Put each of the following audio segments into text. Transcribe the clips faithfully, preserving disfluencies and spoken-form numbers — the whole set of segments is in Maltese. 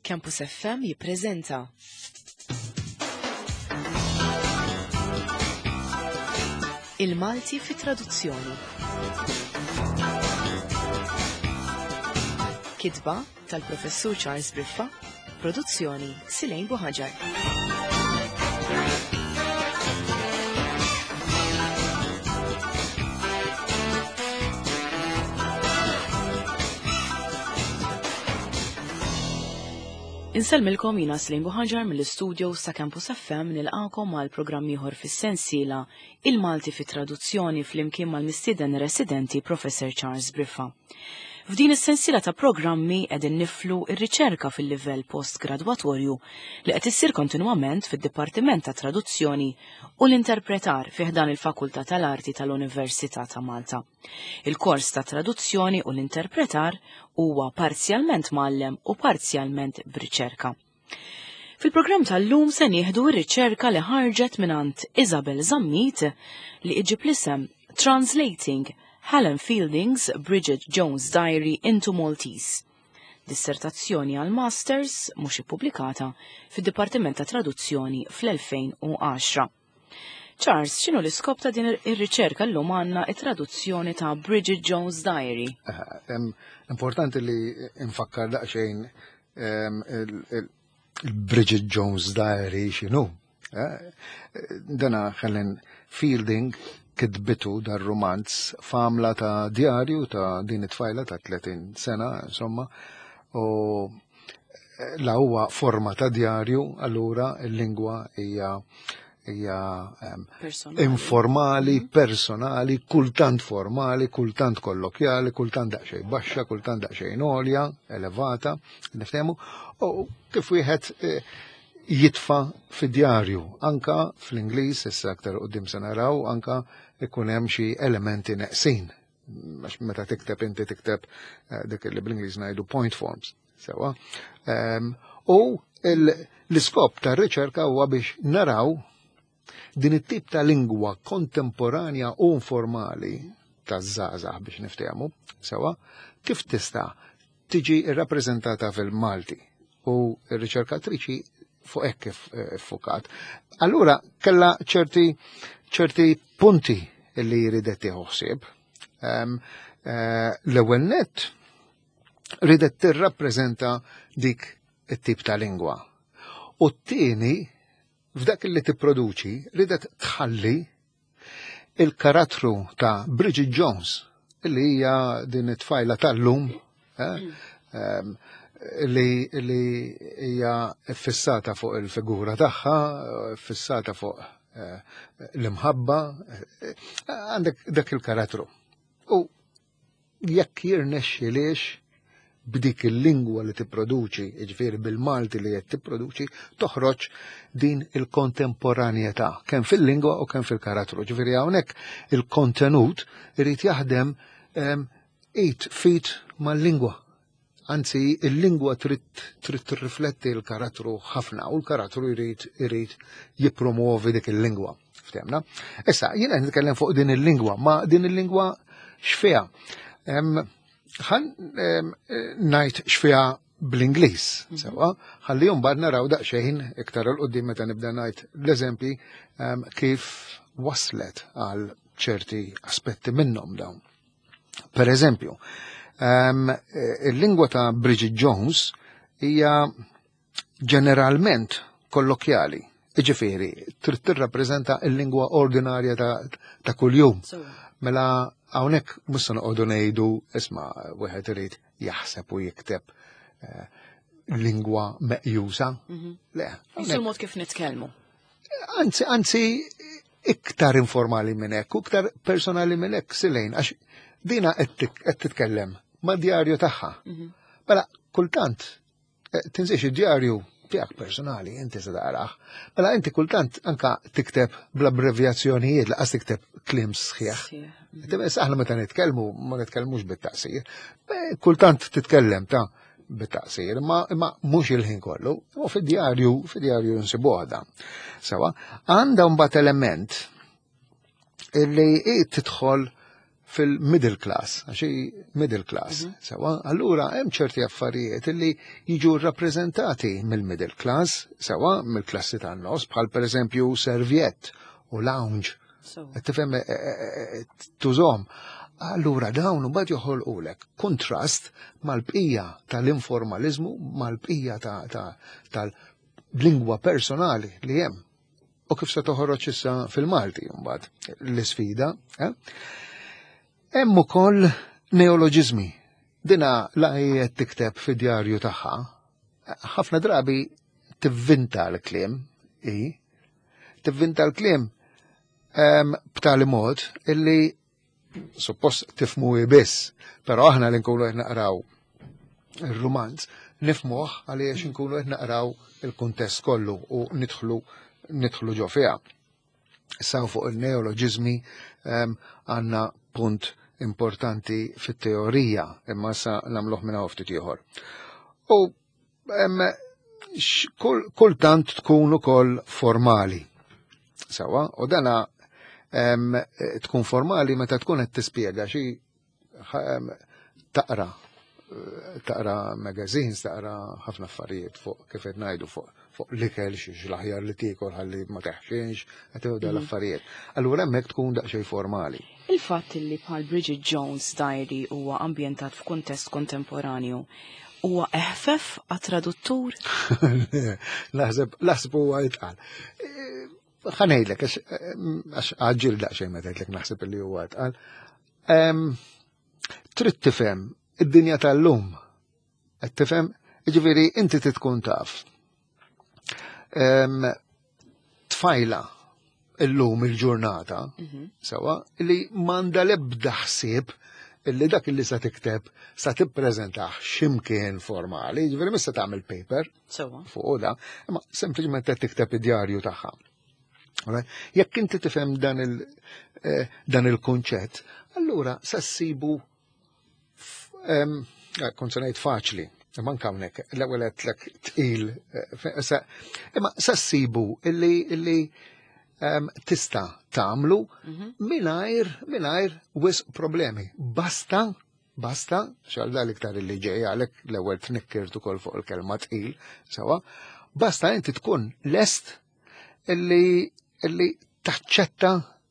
Campus F M jippreżenta Il-Malti fi traduzzjoni. Kitba tal-Professur Charles Briffa, produzzjoni Silejn Buħaġar. Insellmilkom jiena Silejn Buħaġar mill-istudio sa Campus F M nilqakom għal programm ieħor fis-sensiela Il-Malti fi traduzzjoni flimkien mal-mistieden residenti Professor Charles Briffa. F'din is-sensiela ta' programmi qegħdin niflu r-riċerka fil-livell postgradwatorju li qed issir kontinwament fid-Dipartiment ta' Traduzzjoni u l-Interpretar fi ħdan il-Fakultà tal-Arti tal-Università ta' Malta. Il-kors ta' traduzzjoni u l-interpretar huwa parzjalment mgħallem u parzjalment b'riċerka. Fil-programm tal-lum se nieħdu r-riċerka li ħarġet mingħand Isabel Zammit li iġib l-isem Translating Helen Fielding's Bridget Jones' Diary into Maltese. Dissertazzjoni għal Masters mhux ippubblikata fid-Dipartiment ta' Traduzzjoni fl-elfejn u għaxra. Charles, x'inhu l-iskop ta' din ir-riċerka llum għandna it-traduzzjoni ta' Bridget Jones' Diary? Eh, importanti li nfakkar daqsxejn, ehm, il-, il-, il-Bridget Jones' Diary x'inhu. Eh, dana Helen Fielding kitbitu dar romanz f'għamla ta' djarju ta' din it-tfajla ta' tletin sena, insomma, u la huwa forma ta' djarju, allura il-lingwa hija hija, ehm, Personali. informali, Mhm. personali, kultant formali, kultant kollokjali, kultant daqsxejn baxxa, kultant daqsxejn għolja, elevata, niftehmu, u kif wieħed, eh, jitfa' fid-djarju, anka fl-Ingliż, issa aktar quddiem se naraw, anka ikun hemm xi elementi neqsin. Għax meta tikteb inti tikteb, eh, dik li bl-Ingliż ngħidu point forms, sewa. Ehm, u il-, l-iskop tar-riċerka huwa biex naraw din it-tip ta' lingwa kontemporanja u informali taż-żgħażagħ biex niftehmu, sewa, kif tista' tiġi rrappreżentata fil-Malti. U r-riċerkatriċi fuq hekk kif, eh, fukat. Allura kellha ċerti, ċerti punti li ridet tieħu ħsieb. Ehm, eh, l-ewwel nett ridet tirrappreżenta dik it-tip ta' lingwa. U t-tieni, f'dak li tipproduċi, ridet tħalli il-karattru ta' Bridget Jones, li hija din it-tfajla tal-lum, eh, ehm, li, li hija fissata fuq il-figura tagħha, fissata fuq, eh, l-imħabba, eh, għandek dak il-karattru. U jekk jirnexxilix b'dik il-lingwa li tipproduċi, jiġifieri bil-Malti li qed tipproduċi, toħroġ din il-kontemporanjetà, kemm fil-lingwa u kemm fil-karattru. Ġifieri hawnhekk il-kontenut irid jaħdem, ehm, it fit mal-lingwa. Anzi, il-lingwa trid, trid tirrifletti l-karattru ħafna u l-karattru jrid, irid jippromuovi dik il-lingwa. Ftemna? Issa, jiena nitkellem fuq din il-lingwa, ma din il-lingwa x'fiha? Ehm, ħan, ehm, ngħid x'fiha bl-Ingliż, Mhm. sewa, ħalli mbagħad naraw daqsxejn iktar 'il quddiem meta nibda ngħid l-eżempji, ehm, kif waslet għal ċerti aspetti minnhom dawn. Per eżempju, ehm, il-lingwa ta' Bridget Jones hija ġeneralment kollokjali, jiġifieri trid tirrappreżenta l-lingwa ordinarja ta', ta' kuljum. Sewa. Mela hawnhekk mhux se noqogħdu ngħidu isma' wieħed irid jaħseb u jikteb, eh, lingwa meqjusa. Mhm. Le, Jisu hawnhekk l-mod kif nitkellmu. Anzi, anzi iktar informali minn hekk u iktar personali minn hekk, Silejn, għax dina qed tik-, qed titkellem ma' djarju tagħha. Mhm. Mela kultant, eh, tinsiex id-djarju tiegħek personali, inti se taqrah. Mela inti kultant anka tikteb bl-abbrevjazzjonijiet, laqas tikteb kliem sħiħ. Sħiħ. Inti bes aħna meta nitkellmu ma nitkellmux bit-taqsir. Eh, kultant titkellem ta' bit-taqsir, imma, imma mhux il-ħin kollu. U fid-djarju, fid-djarju nsibuha dan. Sewa, għandha mbagħad element illi hi tidħol fil-middle class, għax hi middle class. Mm -hmm. Sewa, allura hemm ċerti affarijiet li jiġu rappreżentati mill-middle class, sewa, mill-klassi tan-nofs, bħal pereżempju serviette u lounge. Tifhem, eh, eh, eh, tużhom. Allura dawn mbagħad joħolqulek kontrast mal-bqija tal-informaliżmu, mal-bqija tal-lingwa personali li hemm. U kif se toħroġ issa fil-Malti mbagħad l-isfida. Eh? Hemm ukoll neoloġiżmi. Dina la qed tikteb fid-djarju tagħha, ħafna drabi tivvinta l-kliem, i, tivvinta l-kliem b'tali mod illi suppost tifhmu biss, però aħna li nkunu qed naqraw ir-rumanz nifhmuh għaliex nkunu qed naqraw il-kuntest kollu u nidħlu nidħlu ġo fiha. Issa fuq il-neoloġiżmi għandna punt importanti fit-teorija, imma sa nagħmluh minn ftit ieħor. U kultant tkun ukoll formali. Sawa, u dana tkun formali meta tkun qed tispjega xi taqra taqra magazines, taqra ħafna affarijiet fuq kif qed ngħidu fuq fuq l-ikel, xi l-aħjar li tiekol ħalli ma teħxinx, qed tieħu l-affarijiet. Allura hemmhekk tkun daqsxejn formali. Il-fatt li bħal Bridget Jones Diary huwa ambjentat f'kuntest kontemporanju huwa eħfef għat-traduttur? Naħseb naħseb huwa itqal. Ħa ngħidlek, għax għaġġilt daqsxejn meta għedtlek naħseb li huwa itqal. Trid tifhem id-dinja tal-lum. Qed tifhem, jiġifieri inti tkun taf. Tfajla illum il-ġurnata, mhm. sewa, li m'għandha lebda ħsieb illi dak illi sa tikteb sa tippreżentah x'imkien formali, ġifieri mhux sa tagħmel paper fuq da, imma sempliċement qed tikteb id-djarju tagħha. Jekk inti tifhem dan il eh, dan il-kunċett, allura sa ssibu eh, kont se ngħid faċli, imma anke hawnhekk l-ewwel għedtlek tqil, eh, imma sa ssibu illi illi tista' tagħmlu mhm. mingħajr mingħajr wisq problemi. Basta basta, xal dal iktar illi ġej għalek l-ewwel tnikkirt ukoll fuq il-kelma tqil, sewa, basta inti tkun lest illi illi taċċetta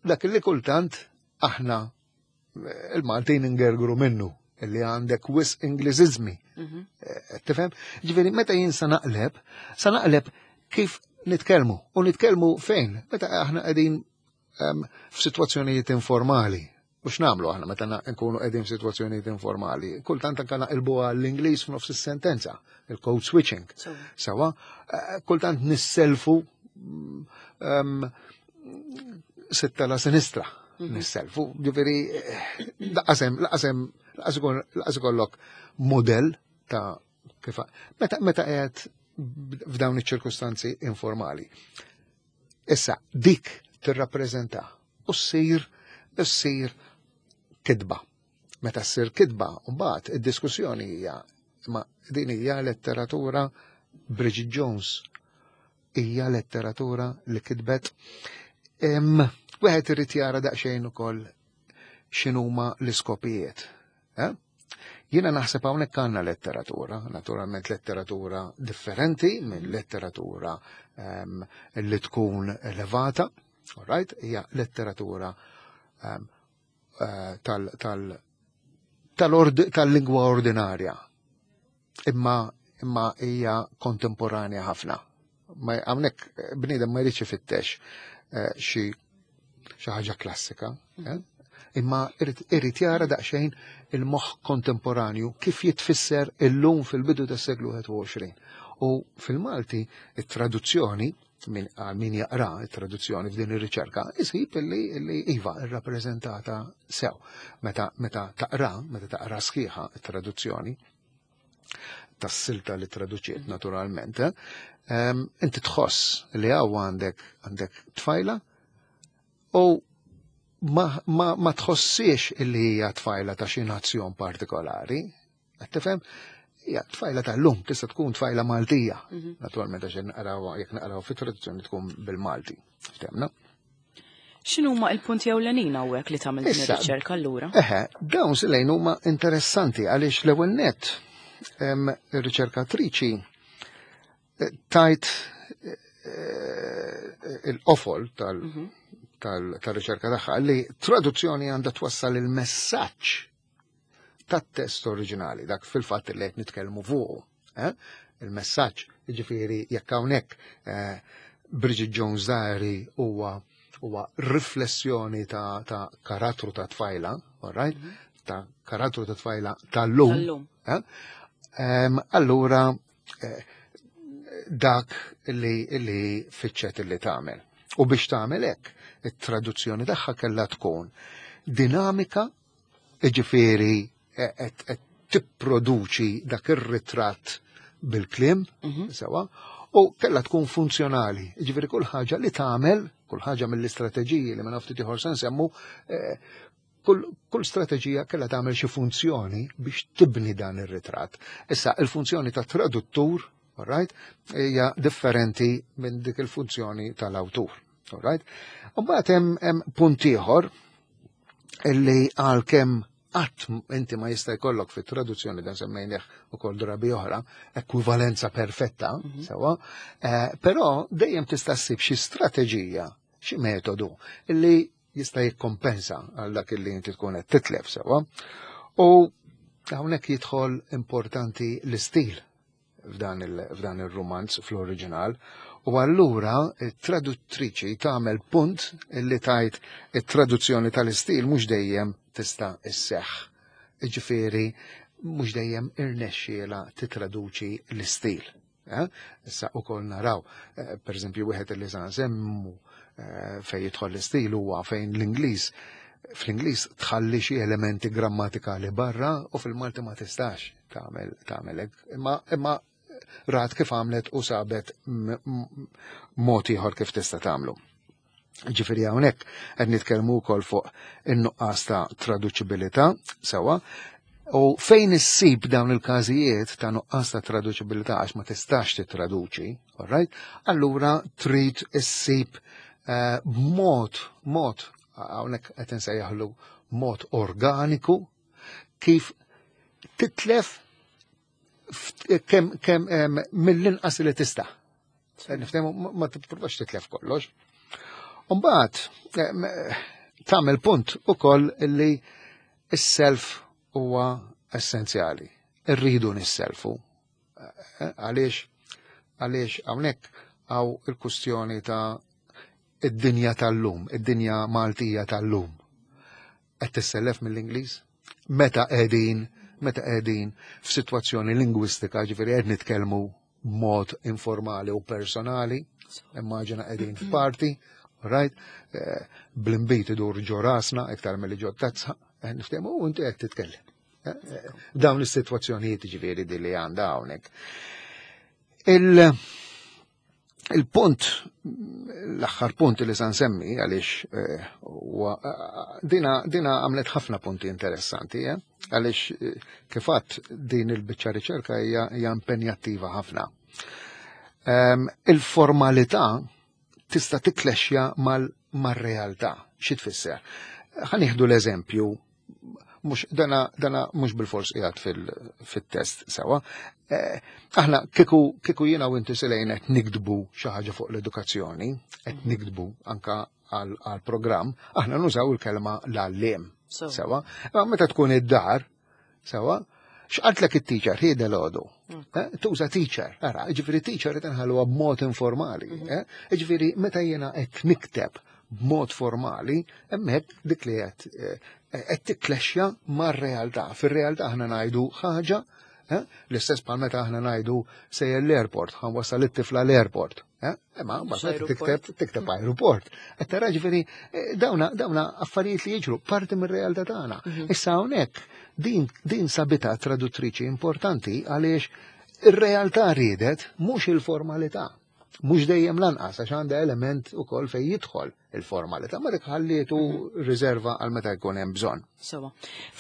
dak illi kultant aħna eh, il-Maltin ingergru minnu illi għandek wisq Ingliżiżmi. Mhm. Eh, tifhem? Ġifieri meta jien sa naqleb, sa naqleb kif nitkellmu. U nitkellmu fejn? Meta aħna qegħdin f'sitwazzjonijiet informali. U x'nagħmlu aħna meta nkunu qegħdin f'sitwazzjonijiet informali? Kultant anke naqilbu għall-Ingliż f'nofs is-sentenza, il-code switching. Sawa, eh, kultant nisselfu um, sitta la sinistra mhm. nisselfu, ġifieri laqasem, laqasem, laqas ikollok model ta' kif meta meta qiegħed f'dawn iċ-ċirkustanzi informali. Issa, dik tirrappreżenta u ssir ssir kitba. Meta ssir kitba, mbagħad id-diskussjoni hija ma din hija letteratura Bridget Jones hija letteratura li kitbet. Wieħed irid jara daqsxejn ukoll x'inhuma l-iskopijiet. Eh? Jiena naħseb hawnhekk għandna letteratura, naturalment letteratura differenti minn letteratura um, li tkun elevata, all right? Hija letteratura um, uh, tal, tal, tal-lingwa ordinarja. Imma imma hija kontemporanja ħafna. Ma hawnhekk bniedem ma jridx ifittex eh, xi xi ħaġa klassika, eh? Imma irid jara daqsxejn il-moħħ kontemporanju kif jitfisser illum fil-bidu tas-seklu wieħed u għoxrin. U fil-Malti it-traduzzjoni min għal min jaqra it-traduzzjoni f'din ir-riċerka isib illi illi iva irrappreżentata sew. Meta meta taqra, meta taqra sħiħa it-traduzzjoni tas-silta li traduċiet naturalment, eh, inti tħoss li hawn għandek għandek tfajla u ma, ma, ma tħossiex illi hija tfajla ta' xi nazzjon partikolari. Qed tifhem? Hija tfajla tal-lum, tista' tkun tfajla Maltija. Mhm. Naturalment għax naqraw jekk naqraw fit-traduzzjoni tkun bil-Malti. Ftehmna? X'inhuma il-punti ewlenin hawnhekk li tagħmel din ir-riċerka allura? Eħe, dawn silejn huma interessanti għaliex l-ewwel nett ir-riċerkatriċi eh, tajt eh, il-qofol mhm. tal-riċerka tagħha li traduzzjoni għandha twassal il-messaġġ tat-test oriġinali, dak fil-fatt li qed nitkellmu fuqu. Eh? Il-messaġġ, jiġifieri jekk hawnhekk Bridget Jones Diary huwa huwa riflessjoni ta', ta karattru ta' tfajla, all right? Mm -hmm. Ta' karattru ta' tfajla tal-lum. Eh? Um, allura, eh, dak li, li fitxet li tagħmel. U biex tagħmel hekk, it-traduzzjoni tagħha kellha tkun dinamika, jiġifieri qed eh, tipproduċi dak ir-ritratt bil-kliem, mm -hmm. sewa, u kellha tkun funzjonali. Jiġifieri kull ħaġa li tagħmel, kull ħaġa mill-istrateġiji li ma naftit ieħor se nsemmu, eh, kull, kull strateġija kellha tagħmel xi funzjoni biex tibni dan ir-ritratt. Issa il-funzjoni ta' traduttur, all right, hija differenti minn dik il-funzjoni tal-awtur. All right? U mbagħad hemm hemm punt ieħor illi għalkemm qatt inti ma jista' jkollok fit-traduzzjoni dan semmejnieh ukoll drabi oħra, ekwivalenza perfetta, mm -hmm. sewa, eh, però dejjem tista' ssib xi strateġija, xi metodu illi jista' jikkompensa għal dak illi inti tkun qed titlef sewa. U hawnhekk jidħol importanti l-istil f'dan il-romanz fl-oriġinal. U allura it-traduttriċi tagħmel punt illi tajt it-traduzzjoni tal-istil mhux dejjem tista' isseħħ. Jiġifieri mhux dejjem irnexxiela titraduċi l-istil. Eh? Issa ukoll naraw, eh, per eżempju, wieħed li sa nsemmu eh, fejn jidħol l-istil huwa fejn l-Ingliż fl-Ingliż tħalli xi elementi grammatikali barra u fil-Malti ma tistax tagħmel tagħmel hekk. Imma imma rat kif għamlet u sabet mod ieħor kif tista' tagħmlu. Ġifieri hawnhekk qed nitkellmu wkoll fuq in-nuqqas ta' traduċibilità sewa u fejn issib dawn il-każijiet ta' nuqqas ta' traduċibilità għax ma tistax titraduċi, all right? Allura trid issib uh, mod mod hawnhekk qed insejjaħlu mod organiku kif titlef kemm kem mill-inqas li tista'. Niftehmu ma tippruvax titlef kollox. Umbagħad tagħmel punt ukoll illi is-self huwa essenzjali. Irridu nisselfu. Għaliex għaliex hawnhekk hawn il-kustjoni ta' id-dinja tal-lum, id-dinja Maltija tal-lum. Qed tissellef mill-Ingliż? Meta qegħdin meta qegħdin f'sitwazzjoni lingwistika, ġifieri qed nitkellmu b'mod informali u personali, immaġina qegħdin f'party, right? Eh, bl-imbit idur ġo rasna iktar milli ġo tazza, eh, niftehmu u inti qed titkellem. Eh, dawn is-sitwazzjonijiet ġifieri di li għandha hawnhekk. Il- Il-punt, l-aħħar punt li sa nsemmi, għaliex dina, dina għamlet ħafna punti interessanti, eh? Għaliex kifat din il-biċċa riċerka hija impenjattiva ħafna. Um, il-formalità tista' tiklexja mal-realtà. Xi tfisser? Ħa nieħdu l-eżempju, mhux dana dana mhux bil-fors qiegħed fil-test sewa. Eh, aħna kieku kieku jiena u inti Selejn qed niktbu xi ħaġa fuq l-edukazzjoni, qed niktbu anka għal programm, aħna nużaw il-kelma l-għalliem. Sewa. Ma meta tkun id-dar, sewa, x'qaltlek it-teacher ħieda l-għodu. Mm. Eh, tuża teacher, ara, ġifieri teacher qed inħalluha b'mod informali. Mhm. Eh? Ġifieri meta jiena qed nikteb b'mod formali, hemmhekk dik li qed qed tikklexxja mar-realtà. Fir-realtà aħna ngħidu ħaġa, l-istess bħal meta aħna ngħidu sejjer l-airport, ħa nwassal it-tifla l-airport. Imma mbagħad tikteb tikteb aeroport. Qed tara ġifieri dawna dawna affarijiet li jiġru parti mir-realtà tagħna. Mhm. Issa hawnhekk din din sabita traduttriċi importanti għaliex ir-realtà riedet mhux il-formalità. Mhux dejjem lanqas għax għandha element ukoll fejn jidħol il-formalità, ma dik ħallietu mhm. riserva għal meta jkun hemm bżonn. Sewa.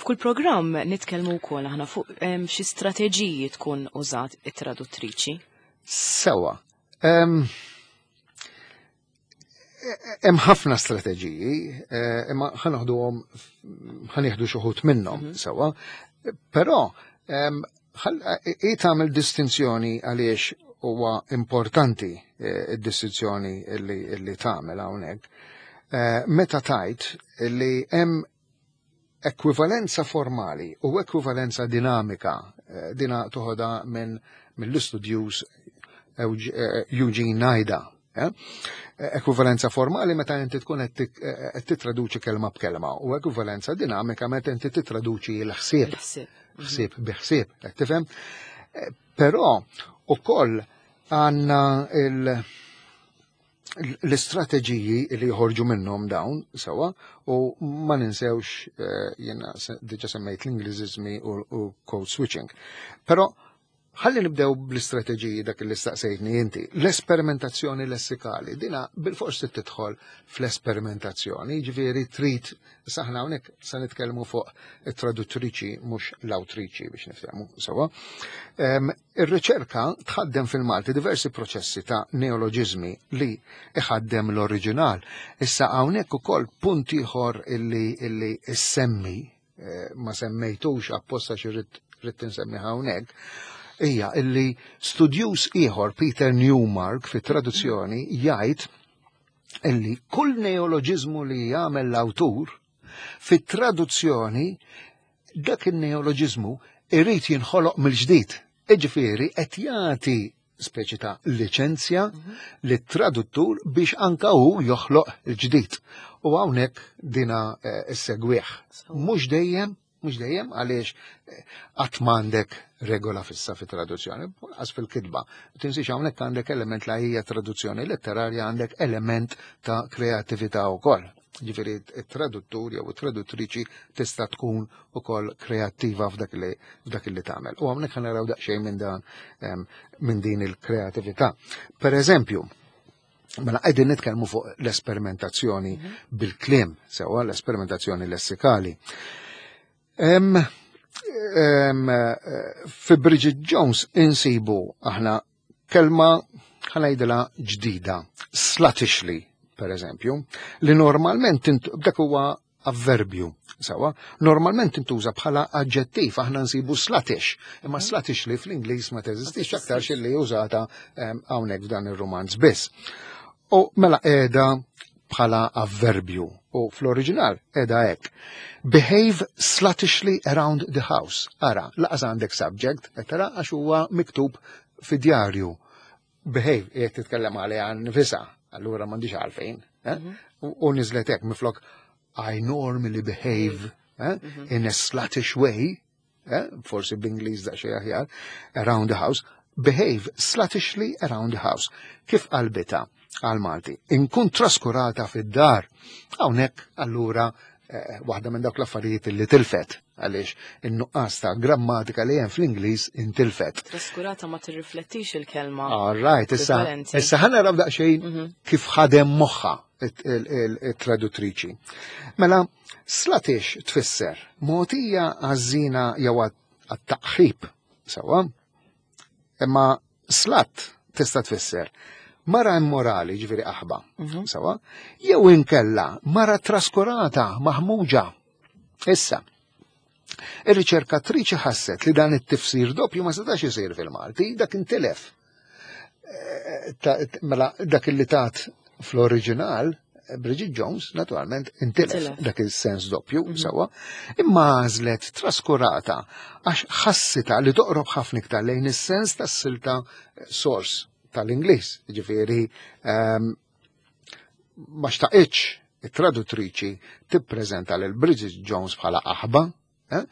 F'kull programm nitkellmu wkoll aħna fuq xi strateġiji tkun użat it-traduttriċi. Sewa. Um, Hemm ħafna strateġiji, eh, imma ħa noħduhom, ħa nieħdu xi wħud minnhom Mhm. sewwa. Però em, ħall- i tagħmel distinzjoni għaliex huwa importanti eh, id-distinzjoni illi illi tagħmel hawnhekk. Eh, Meta tajt li hemm ekwivalenza formali u ekwivalenza dinamika, eh, dina toħodha minn mill-istudjuż Eugene Nida. eh? Ekwivalenza formali meta inti tkun qed tik- eh, qed titraduċi kelma b'kelma u ekwivalenza dinamika meta inti titraduċi l-ħsieb, Il-ħsieb. ħsieb bi ħsieb, qed tifhem? Eh, Però ukoll għandna il- l-istrateġiji li joħorġu minnhom dawn sewwa u ma ninsewx eh, jiena se- diġà semmejt l-Ingliżiżmi u, u code switching. Però ħalli nibdew bl-istrateġiji dak li staqsejtni inti. L-esperimentazzjoni lessikali, dina bil-forsi tidħol fl-esperimentazzjoni, ġifieri trid saħna hawnhekk se nitkellmu fuq it-traduttriċi mhux l-awtriċi biex niftehmu sewwa. Em, Ir-riċerka tħaddem fil-Malti diversi proċessi ta' neoloġizmi li iħaddem l-oriġinal. Issa hawnhekk ukoll punt ieħor illi illi issemmi, eh, ma semmejtux apposta xi rrid rrid insemmi hawnhekk, hija illi studjuż ieħor Peter Newmark fit-traduzzjoni jgħid illi kull neoloġizmu li jagħmel l-awtur fit-traduzzjoni dak il-neoloġizmu irrid jinħoloq mill-ġdid. Iġifieri qed jagħti speċi ta' liċenzja lit-traduttur biex anka hu joħloq il-ġdid. U hawnhekk dina eh, issegwih. Mhux dejjem, mhux dejjem għaliex eh, qatt m'għandek regola fissa fit traduzzjoni, għas fil-kitba. Tinsiex hawnhekk għandek element la hija traduzzjoni letterarja, għandek element ta' kreatività wkoll. Ġifieri it-traduttur jew it-traduttriċi tista' tkun ukoll kreattiva f'dak li f'dak li tagħmel. U hawnhekk ħa naraw daqsxejn minn dan em, minn din il-kreatività. Per eżempju, mela qegħdin nitkellmu fuq l-esperimentazzjoni bil-kliem, sewwa l-esperimentazzjoni lessikali. Em, em, eh, fi Bridget Jones insibu aħna kelma ħa ngħidilha ġdida, sluttishly, per eżempju, li normalment int- dak huwa avverbju, sewwa, normalment intuża bħala aġġettiv, aħna nsibu sluttish, imma sluttishly fl-Ingliż ma teżistix aktar li użata em, hawnhekk f'dan ir-romanz biss. U mela qiegħda bħala avverbju u fl-oriġinal qiegħda hekk. Behave sluttishly around the house. Ara, lanqas għandek subject, qed tara għax huwa miktub fi djarju. Behave, jekk titkellem għaliha nfisha, allura m'għandix għalfejn. Eh? U u niżlet hekk miflok I normally behave eh, in a sluttish way, eh, forsi b'Ingliż daqsxejn aħjar, around the house, behave sluttishly around the house. Kif qalbitha għal Malti? Inkun traskurata fid-dar. Hawnhekk allura eh, waħda minn dawk l-affarijiet li tilfet għaliex in-nuqqas ta' grammatika li hemm fl-Ingliż intilfet. Traskurata ma tirriflettix il-kelma. All right, issa Ekwivalenti. issa ħa naraw daqsxejn kif ħadem moħħa it-traduttriċi. Mela, sluttish tfisser mogħtija għaż-żina jew għat-taqħib, sewwa? Imma slut tista' tfisser mara immorali, ġifieri aħba, sewwa? Jew inkella mara traskurata, maħmuġa. Issa, ir-riċerkatriċi ħasset li dan it-tifsir doppju ma setax isir fil-Malti, dak intilef. Eh, ta- Mela, dak li tat fl-oriġinal, Bridget Jones, naturalment, intilef Intilef. dak il-sens doppju, sewwa, imma għażlet traskurata għax ħassita li toqrob ħafna iktar lejn is-sens tas-silta source tal-Ingliż, ġifieri ehm, ma xtaqitx it-traduttriċi tippreżenta lil Bridget Jones bħala aħba, eh?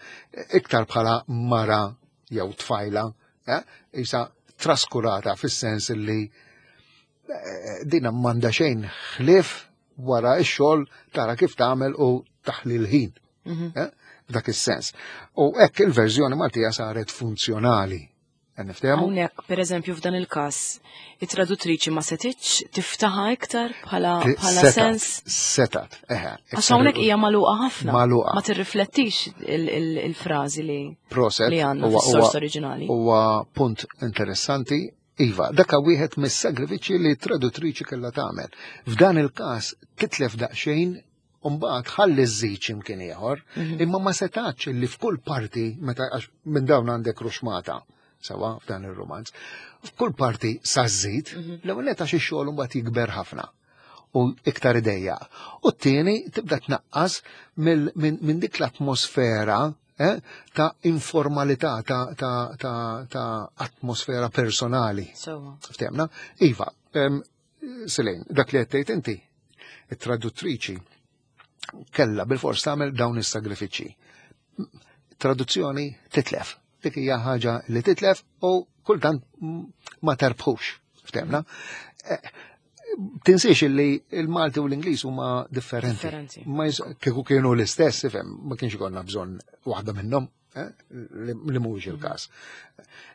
iktar bħala mara jew tfajla, eh? isa traskurata fis-sens li eh, dina m'għandha xejn ħlief wara x-xogħol tara kif tagħmel u taħli l-ħin. eh? F'dak is-sens. U hekk il-verżjoni Maltija saret funzjonali. Qed Niftehmu? Hawnhekk, per eżempju, f'dan il-każ, it-traduttriċi ma setitx tiftaħa iktar bħala bħala Setat, sens. Setat, eħe. Għax hawnhekk hija magħluqa ħafna. Magħluqa. Ma tirriflettix il- il- il-frażi li Proset. li għandna huwa- fis-sors huwa- oriġinali. Huwa punt interessanti. Iva, dak wieħed mis-sagrifiċċji li traduttriċi kellha tagħmel. F'dan il-każ titlef daqsxejn u mbagħad ħalli żżid x'imkien ieħor, Mhm. imma ma setax li f'kull parti meta għax minn dawn għandek ruxmata sewa f'dan ir-romanz. F'kull parti sa żżid, Mhm. l-ewwel nett għax ix-xogħol mbagħad jikber ħafna u iktar idejja. U t-tieni tibda tnaqqas mill- minn min dik l-atmosfera eh, ta' informalità, ta', ta, ta, ta' atmosfera personali. Sewwa. Ftehmna? Iva, em, Selene, dak li għedt inti, it-traduttriċi kella bil-fors tagħmel dawn is-sagrifiċċji. Traduzzjoni titlef. Dik hija ħaġa li titlef u kultant ma terbħux. Ftehmna? Eh, Tinsiex illi il-Malti u l-Ingliż huma differenti. Differenti. Ma jis- kieku kienu l-istess, ifhem, ma kienx ikollna bżonn waħda minnhom, eh, li li mhuwiex il-każ.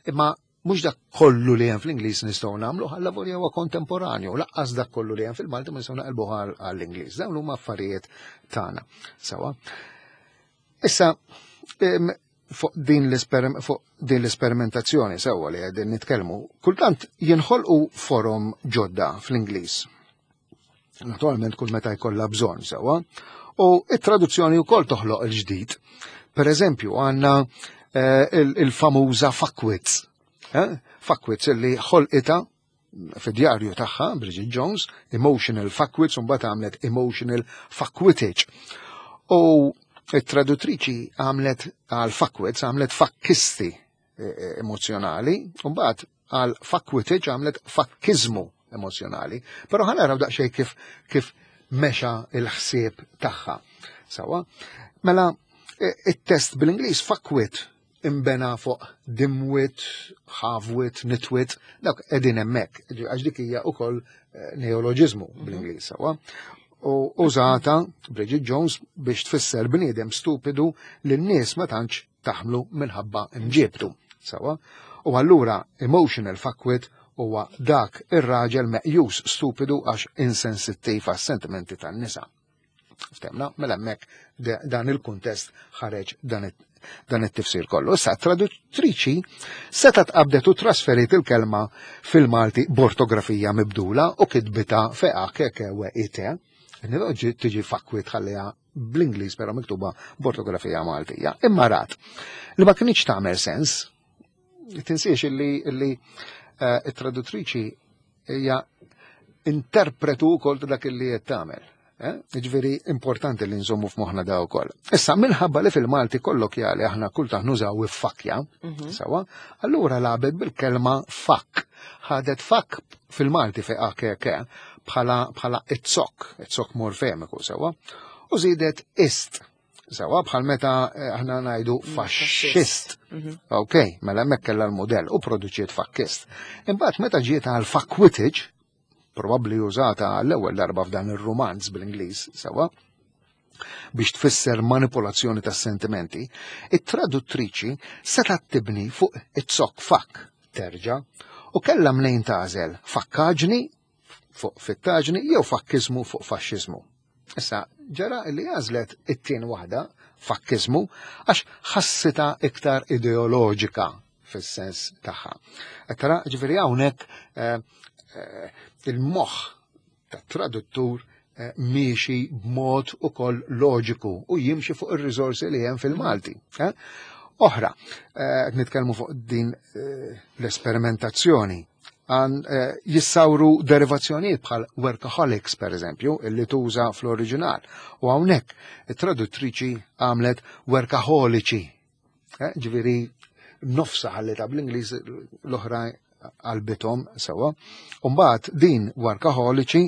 Imma mhux dak kollu li hemm fl-Ingliż nistgħu nagħmlu ħalla volja huwa kontemporanju, lanqas dak kollu li hemm fil-Malti ma nistgħu naqilbu għall-Ingliż. Dawn huma affarijiet tagħna. Sawa. Issa, em, fuq din l-esperim- fuq din l-esperimentazzjoni sewwa li qegħdin nitkellmu, kultant jinħolqu forom ġodda fl-Ingliż. Naturalment kull meta jkollha bżonn sewwa, u it-traduzzjoni wkoll toħloq il-ġdid. Per eżempju, għandna eh, il- il-famuża fuckwits. Eh? Fuckwits illi ħolqita fid-djarju tagħha, Bridget Jones, emotional fuckwits, u mbagħad għamlet emotional fuckwittage. U it-traduttriċi għamlet għal fuckwits, għamlet fakkisti eh, emozjonali, u mbagħad għal fuckwittage għamlet fakkizmu emozjonali. Però ħa naraw daqsxejn kif kif mexa il-ħsieb tagħha. Sawa? Mela, eh, it-test bil-Ingliż fuckwit imbena fuq dimwit, halfwit, nitwit, dak qegħdin hemmhekk, għax dik hija ukoll eh, neoloġiżmu bl-Ingliż, sawa? U użata Bridget Jones biex tfisser bniedem stupidu li n-nies ma tantx taħmlu minħabba imġiebtu. Sawa? U allura emotional fuckwit huwa dak ir-raġel meqjus stupidu għax insensittiv għas-sentimenti tan-nisa. Ftehmna, mela hemmhekk de- dan il-kuntest ħareġ dan it- dan it-tifsir kollu. Issa traduttriċi setgħet qabdet u trasferit il-kelma fil-Malti b'ortografija mibdula u kitbita feqa keke u ite. Nidoġi tiġi fuckwit ħalliha bl-Ingliż però miktuba b'ortografija Maltija. Imma rat li ma kienx tagħmel sens, tinsiex illi illi eh, it-traduttriċi hija interpretu wkoll ta' dak illi qed tagħmel. Eh? Ġifieri importanti li nżommu f'moħħna da wkoll. Issa minħabba li fil-Malti kollokjali aħna kultant nużaw iffakja, Mhm. sawa, allura lagħbet bil-kelma fuck. Ħadet fuck fil-Malti fi A K K bħala bħala it-zokk, it-zokk morfemiku, sawa, u żiedet ist. Sawa, bħal meta eh, aħna ngħidu faxxist. Mhm. Ok, mela hemmhekk kellha l-modell u produċiet fakkist. Imbagħad meta ġiet għal fuckwittage, probabbli użata l-ewwel darba f'dan ir-romanz bl-Ingliż, sawa, biex tfisser manipolazzjoni tas sentimenti, it-traduttriċi setgħet tibni fuq it-zokk fuck terġa' u kellha mnejn tagħżel fakkaġni fuq fittaġni jew fakkizmu fuq faxxiżmu. Issa, ġara li għażlet it-tieni waħda, fakkizmu, għax ħassita iktar ideoloġika fis-sens tagħha. Qed tara, ġifieri hawnhekk eh, eh, il-moħħ tat-traduttur eh, miexi b'mod ukoll loġiku u jimxi fuq ir-riżorsi li hemm fil-Malti. eh? Oħra, eh, qed nitkellmu fuq din eh, l-esperimentazzjoni għan eh, jissawru derivazzjonijiet bħal workaholics, per eżempju, illi tuża fl-oriġinal. U hawnhekk it-traduttriċi għamlet workaholiċi. Eh, ġifieri nofsa ħallita bl-Ingliż, l-oħra qalbithom sewa. Umbagħad din workaholiċi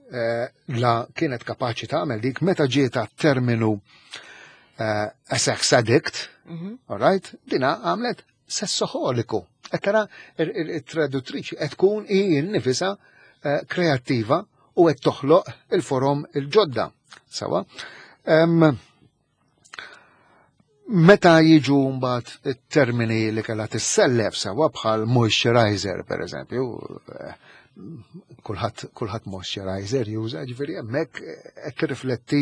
eh, la kienet kapaċi tagħmel dik meta ġiet terminu eh, a sex addict, Mhm. all right, dina għamlet sessoholiku. Qed tara il-traduttriċi qed tkun hi nifisha eh, kreattiva u qed toħloq il-forom il-ġodda. Sawa. Em, Meta jiġu mbagħad it-termini li kellha tissellef sawa bħal moisturizer per eżempju, eh, kulħadd kulħadd moisturizer juża, ġifieri hemmhekk qed tirrifletti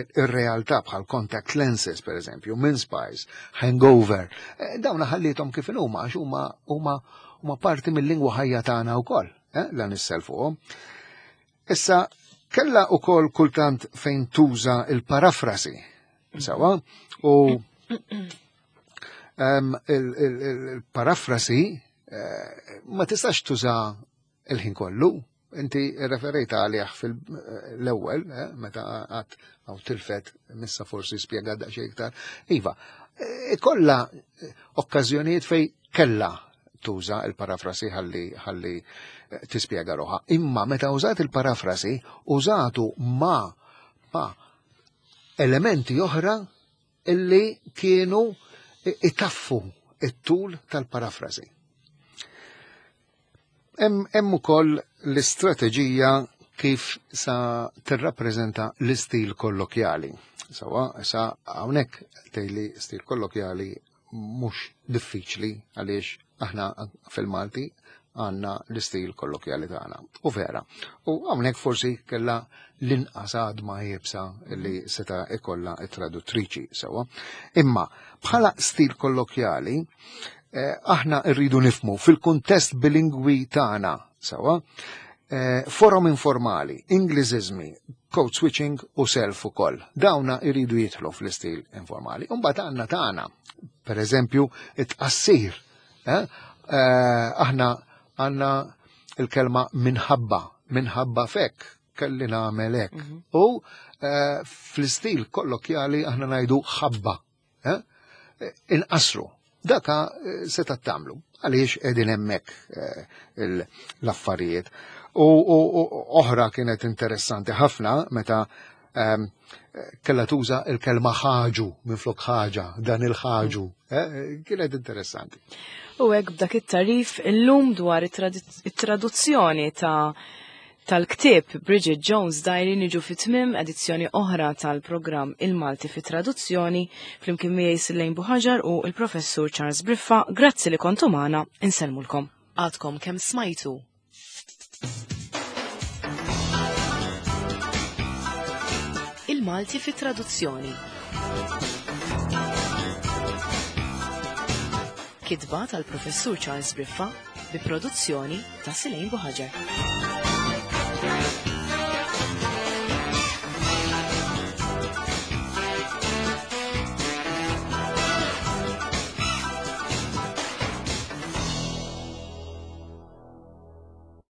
ir-realtà bħal contact lenses per eżempju, mince pies, hangover. Eh, Dawn ħallithom kif huma għax huma huma Huma parti mill-lingwa ħajja tagħna wkoll, eh, la nisselfuhom. Issa kella ukoll kultant fejn tuża il-parafrasi, sawa, u il-parafrasi eh, ma tistax tuża il-ħin kollu. Inti referejta għalih fil-ewwel, eh, meta għat għaw tilfet, missa forsi spjega daqsxejn iktar. Iva, ikolla okkażjonijiet fej kella tuża il-parafrasi ħalli ħalli tispjega ruħha. Imma meta użat il-parafrasi, użatu ma ma elementi oħra illi kienu itaffu it-tul tal-parafrasi. Hemm ukoll l-istrateġija kif sa tirrappreżenta l-istil kollokjali. Sawa, sa hawnhekk tgħidli stil kollokjali mhux diffiċli għaliex aħna fil-Malti għandna l-istil kollokjali tagħna. U vera. U hawnhekk forsi kellha l-inqas għadma iebsa li seta' ikollha it-traduttriċi sewa. Imma bħala stil kollokjali eh, aħna rridu nifmu fil-kuntest bilingwi tagħna sewa, eh, forum informali, Ingliżiżmi, code switching u self ukoll. Dawna jridu jidħlu fl-istil informali. Imbagħad għandna tagħna, per eżempju, it-tqassir. Eh? Eh, aħna għandna il-kelma minħabba, minħabba fek, kelli nagħmel hekk. Mm -hmm. U eh, fl-istil kollokjali aħna ngħidu ħabba. Eh? Inqasru. Daka seta' tagħmlu għaliex qegħdin hemmhekk l-affarijiet. U oħra kienet interessanti ħafna meta um, kella tuża il-kelma ħaġu minflok ħaġa, dan il-ħaġu. Eh, kienet interessanti. U hekk b'dak it-tarif illum dwar it-traduzzjoni ta' tal-ktieb Bridget Jones Diary niġu fi tmiem edizzjoni oħra tal-programm Il-Malti fi Traduzzjoni flimkien miegħi Sillejn Buħaġar u il-Professur Charles Briffa. Grazzi li kontu magħna, insellmulkom. Għadkom kemm smajtu. Il-Malti fi Traduzzjoni. Kitba tal-Professur Charles Briffa bi produzzjoni ta' Silejn Buħaġar.